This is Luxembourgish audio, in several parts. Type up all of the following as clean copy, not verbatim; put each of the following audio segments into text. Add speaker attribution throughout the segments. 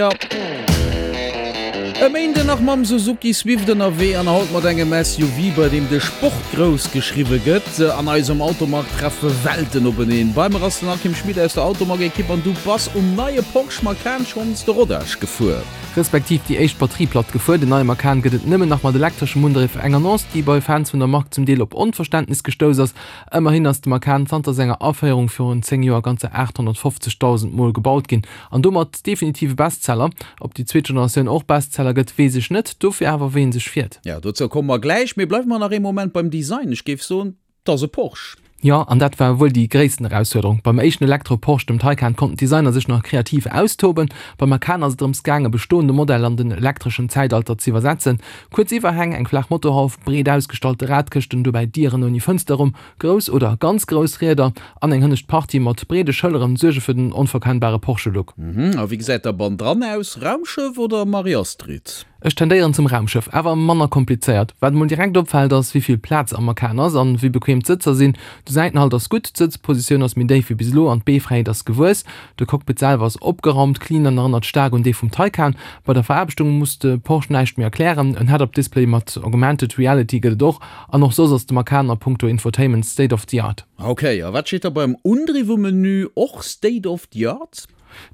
Speaker 1: E Méinden nach mam Suzuki Swift ënnerwee an haut mat engem SUV, bei deem de Sport grouss geschriwwe gëtt. An eisem Automag treffe Welten openeen. Bei mer ass den Akim Schmit aus der Automag-Ekipp an du bass um neie Porsche Macan schonns de Rodage gefuer.
Speaker 2: Respektiv déi éischt Batterieplatt gefuer. Den neie Macan gëtt et nëmmen nach mat elektreschem Undriff. Eng Annonce, déi bei Fans vun der Mark zum Deel op Onverständnis gestouss ass. Ëmmerhin ass de Macan zanter senger Aféierung virun 10 Joer ganzer 850.000 Mol gebaut ginn. An domat definitiv e Bestseller. Ob déi zweet Generatioun och Bestseller gëtt, weess ech net, dofir awer wéi en sech fiert.
Speaker 1: Jo, dozou komme mer gläich. Mee bleiwe mer nach ee Moment beim Design. Ech géif soen, 't ass e Porsche.
Speaker 2: Jo, an dat war wuel déi gréissten Erausfuerderung. Beim éischten Elektro-Porsche, dem Taycan, konnten d'Designer sech nach kreativ austoben. Beim Macan ass et drëms gaange bestoende Modeller an den elektreschen Zäitalter z'iwwersetzen. Kuerz Iwwerhäng, eng flaach Motorhauf, breet ausgestallte Radkëschten, dobäi Dieren ouni Fënsterrumm, Grouss oder ganz grouss Rieder an eng hënnescht Partie mat breede Schëlleren suerge fir den onverkennbare Porsche-Look.
Speaker 1: Mhm, a wéi gesäit da bannendran aus? Raumschëff oder Marie-Astrid?
Speaker 2: Ech tendéieren zum Raumschëff, awer manner komplizéiert. Wat emol direkt opfält ass wéi vill Plaz am Macan ass an wéi bequem d'Sëtzer sinn. De Säitenhalt ass gutt, d'Sëtzpositioun ass méi déif wéi bis elo an d'Beefräiheet ass gewuess. De Cockpit selwer ass opgeraumt, clean an erënnert staark un dee vum Taycan. Bei der Veraarbechtung muss de Porsche näischt méi erklären, en Head-Up-Display mat Augmented Reality gëtt et och. An och soss ass de Macan a punkto Infotainment state of the art.
Speaker 1: Ok, a wat steet da beim Undriff um Menü? Och state of the art?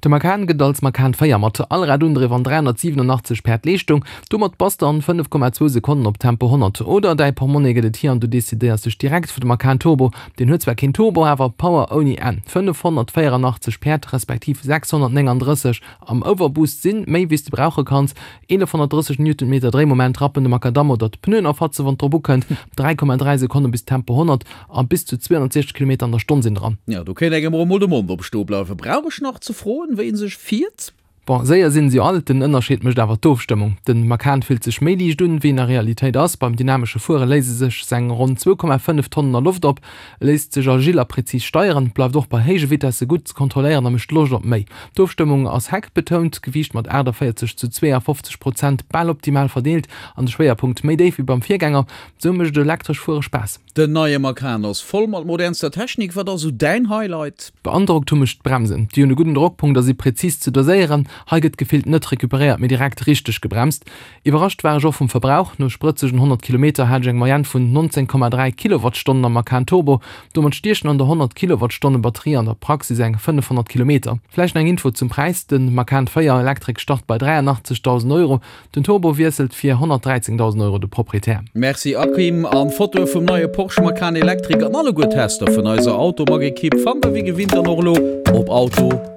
Speaker 2: De Macan gëtt als Macan 4 mat Allradundriff an 387 Päerd Leeschtung. Domat bass de an 5,2 Sekonnen op Tempo 100. Oder däi Portmonni gëtt et hier an du decidéiers dech direkt fir de Macan Turbo. Deen huet zwar keen Turbo, awer Power ouni Enn, 584 Päerd respektiv 639 am Overboost sinn méi wéi s de brauche kanns. 1130 Newtonmeter Dréimoment rappen de Makadamm oder d'Pneuen erfatze wann et drop ukënnt, 3,3 Sekonne bis Tempo 100 a bis zu 260 Kilometer an der Stonn sinn dran.
Speaker 1: Jo, do kéint engem och emol de Mond opstoe bleiwen. Brauch ech nach ze froen, wéi en sech fiert?
Speaker 2: Bon, séier sinn se jo all, den Ënnerscheed mécht awer d'Ofstëmmung. Den Macan fillt sech méi liicht un, wéi en a Realitéit ass. Beim dynamesche Fuere léise sech seng ronn 2,5 Tonnen a Loft op. E léisst sech agil a präzis steieren, bleift och bei héije Vitesse gutt ze kontrolléieren a mécht Loscht op méi. D'Ofstëmmung ass heckbetount, d'Gewiicht mat 48 zu 52 Prozent bal optimal verdeelt an de Schwéierpunkt méi déif wéi beim Virgänger. Sou mécht elektresch Fuere Spaass.
Speaker 1: Den neie Macan ass voll mat modernster Technik. Wat ass sou däin Highlight?
Speaker 2: Beandrockt hu mech d'Bremsen. Déi hunn e gudden Drockpunkt a si präzis ze doséieren. Hei gëtt gefillt net recuperéiert, mee direkt richteg gebremst. Iwwerrascht war ech och vum Verbrauch, no sprëtzegen 100 Kilometer hat ech eng Moyenne vun 19,3 Kilowattstonnen am Macan Turbo. Domat stiechen an der 100 Kilowattstonne Batterie an der Praxis eng 500 Kilometer. Vläicht nach eng Info zum Präis, Den Macan 4 Electric start bei 83.000 Euro, den Turbo wiesselt fir 113.000 Euro de Proprietär.
Speaker 1: Merci Akim, an Fotoe vum neie Porsche Macan Electric an alleguer Tester vun eiser Automag Equipe fannt der wéi gewinnt dann och elo op auto.rtl.lu.